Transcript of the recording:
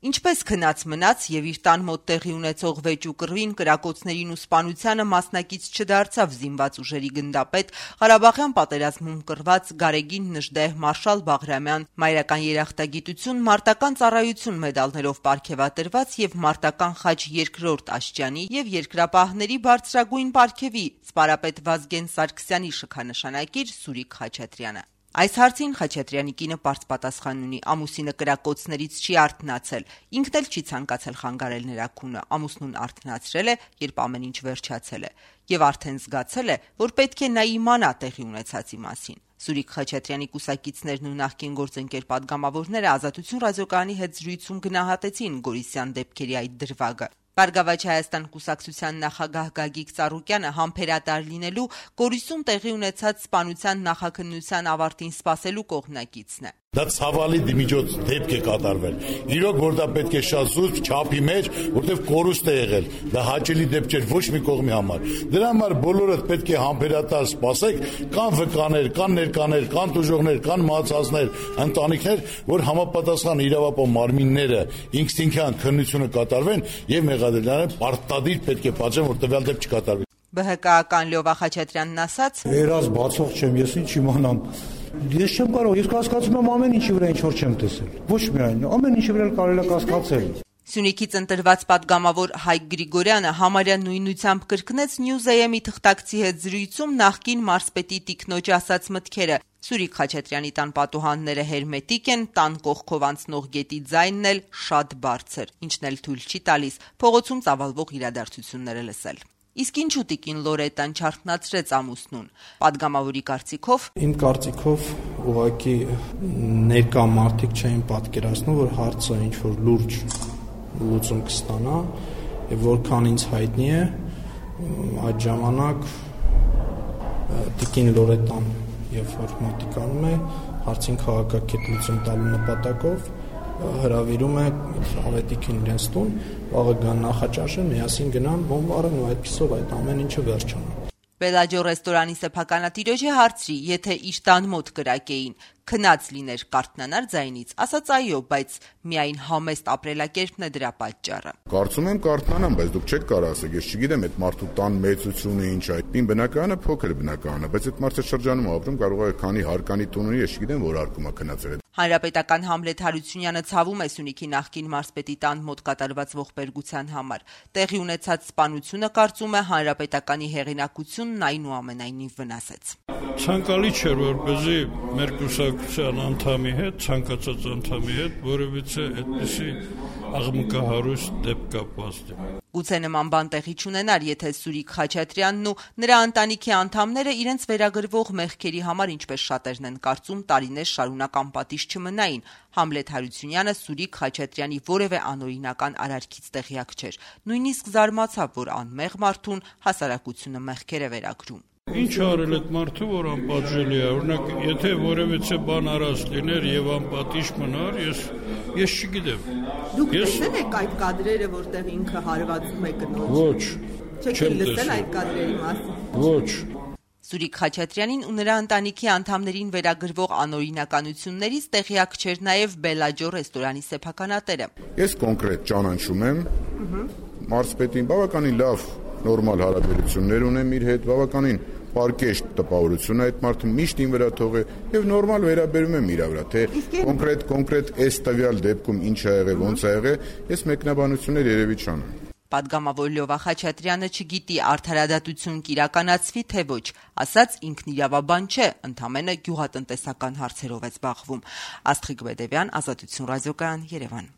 Ինչպես քնած մնաց եւ իր տան մոտ տեղի ունեցող վեճ ու կռվին, կրակոցներին ու սպանությանը մասնակից չդարձավ զինված ուժերի գնդապետ, Ղարաբաղյան պատերազմում կռված Գարեգին Նժդեհ Մարշալ Բաղրամյան, մայրական երախտագիտություն, մարտական ծառայություն մեդալներով պարգևատրված եւ մարտական խաչ 2-րդ աշճանի եւ երկրապահների բարձրագույն պարգևի սպարապետ Վազգեն Սարգսյանի շքանշանակիր Սուրիկ Խաչատրյանը։ Այս հարցին Խաչատրյանի կինը պարզ պատասխան ունի. ամուսինը կրակոցներից չի արթնացել, ինքն էլ չի ցանկացել խանգարել նրա քունը, ամուսնուն արթնացրել է, երբ ամեն ինչ վերջացել է, եւ արդեն զգացել է, որ պետք է նա իմանա տեղի ունեցածի մասին։ Սուրիկ Խաչատրյանի կուսակիցներն ու նախկին գործընկեր պատգամավորները Ազատություն ռադիոկայանի հետ զրույցում գնահատեցին Գորիսյան դեպքերի այդ դրվագը։ Բարգավաճ Հայաստան կուսակցության նախագահ Գագիկ Ծառուկյանը համբերատար լինելու Գորիսում տեղի ունեցած սպանության նախաքննության ավարտին սպասելու կողմնակիցն է։ Դա ցավալի դիմիջոց դեպք է կատարվել։ Իրոք որ դա պետք է շատ զուսպ չափի մեջ, որտեղ կորուստ է եղել։ Դա հաճելի դեպք չէր ոչ մի կողմի համար։ Դրա համար բոլորդ պետք է համբերատար սպասեք, կան վկաներ, կան ներկաներ, կան տուժողներ, կան մահացածներ, ընտանիքներ, որ համապատասխան իրավապահ մարմինները ինքնին քննությունը կատարվեն եւ մեղադրյալները պարտադիր պետք է պատժեն, որ տվյալ դեպք չկատարվի։ ԲՀԿ-ական Լյովա Խաչատրյանն ասաց. Երազ բացող չեմ, ես ինչ իմանամ։ Ես չեմ կարող, ես կասկածում եմ ամեն ինչի վրա ինչ որ չեմ տեսել։ Ոչ միայն, ամեն ինչի վրա կարելի է կասկածել։ Սյունիքից ընտրված պատգամավոր Հայկ Գրիգորյանը համարյա նույնությամբ կրկնեց News-am-ի թղթակցի հետ զրույցում նախկին մարզպետի տիկնոջ ասած մտքերը։ Սուրիկ Խաչատրյանի տան պատուհանները հերմետիկ են, տան կողքով անցնող գետի ձայնն էլ շատ բարձր, ինչն էլ թույլ չի տալիս փողոցում ծավալվող իրադարձությունները լսել։ Իսկ ինչու տիկին Լորետան չարթնացրեց ամուսնուն։ Պատգամավորի կարծիքով Իմ կարծիքով ուղղակի ներկա մարդիկ չէին պատկերացնում, որ հարցը ինչ որ լուրջ լուծում կստանա, եւ որքան ինձ հայտնի է, այդ ժամանակ տիկին Լորետան, երբ որ մոտիկանում է հարցին քաղաքակիրթ լուծում տալու նպատակով, հրավիրում է ավետիքին իրենց տուն, վաղը գան նախաճաշեն, միասին գնան բոմբարեն ու այդպիսով այդ ամեն ինչը վերջանա։ Բելաջո ռեստորանի սեփականատիրոջը հարցրի, եթե իր տան մոտ կրակեին, քնած լիներ կարթնանար ձայնից, ասաց այո, բայց միայն համեստ ապրելակերպն է դրա պատճառը։ Կարծում եմ կարթնանամ, բայց դուք չեք կարող ասեք, ես չգիտեմ այդ մարդու տան մեծությունը ինչ է։ Իմ բնակարանը փոքր բնակարան է, բայց այդ մարդը շրջանում ապրում, կարող է քանի հարկանի տուն ունի, ես չգիտեմ որ հարկում է քնածել։ Հանրապետական Համլետ Հարությունյանը ցավում է Սյունիքի նախկին մարզպետի տան մոտ կատարված ողբերգության համար։ Տեղի ունեցած սպանությունը կարծում է հանրապետականի հեղինակությունն այնուամենայնիվ վնասեց։ Ցանկալի չէր, որպեսզի մեր կուսակցության անդամի հետ, ցանկացած անդամի հետ որևիցե այդպիսի աղմկահարուստ դեպք կապված։ Գուցե նման բան տեղի չունենար, եթե Սուրիկ Խաչատրյանն ու նրա ընտանիքի անդամները իրենց վերագրվող մեղքերի համար, ինչպես շատերն են կարծում, տարիներ շարունակ անպատիժ չմնային։ Համլետ Հարությունյանը Սուրիկ Խաչատրյանի որևէ անօրինական արարքից տեղյակ չէր։ Նույնիսկ զարմացավ, որ անմեղ մարդուն հասարակությունը մեղքեր է վերագրում։ Ինչ արել այդ մարդը, որ անպատժելի է, օրինակ, եթե որևիցե բան արած լիներ եւ անպատիժ մնար, ես չգիտեմ։ Դուք տեսել եք այդ կադրերը, որտեղ ինքը հարվածում է կնոջ։ Ոչ։ Չեք լսել այդ կադրերի մասին։ Ոչ։ Սուրիկ Խաչատրյանին ու նրա ընտանիքի անդամներին վերագրվող անօրինականություններից տեղյակ չէր նաև Բելաջո ռեստորանի սեփականատերը։ Ես կոնկրետ ճանաչում եմ մարզպետին, բավականին լավ նորմալ հարաբերություններ ունեմ իր հետ, բավականին պարկեշտ տպավորություն է այդ մարդը միշտ ին վրա թողե եւ նորմալ վերաբերում եմ իր վրա, թե կոնկրետ այս տվյալ դեպքում ինչ ա եղել, ոնց ա եղել, ես մեկնաբանություններ երևի չանեմ։ Պատգամավոր Լյովա Խաչատրյանը չգիտի արդարադատություն կիրականացվի թե ոչ, ասաց ինքն իրավաբան չէ, ընդամենը գյուղատնտեսական հարցերով է զբաղվում։ Աստղիկ Բեդևյան, Ազատություն ռադիոկայան, Երևան։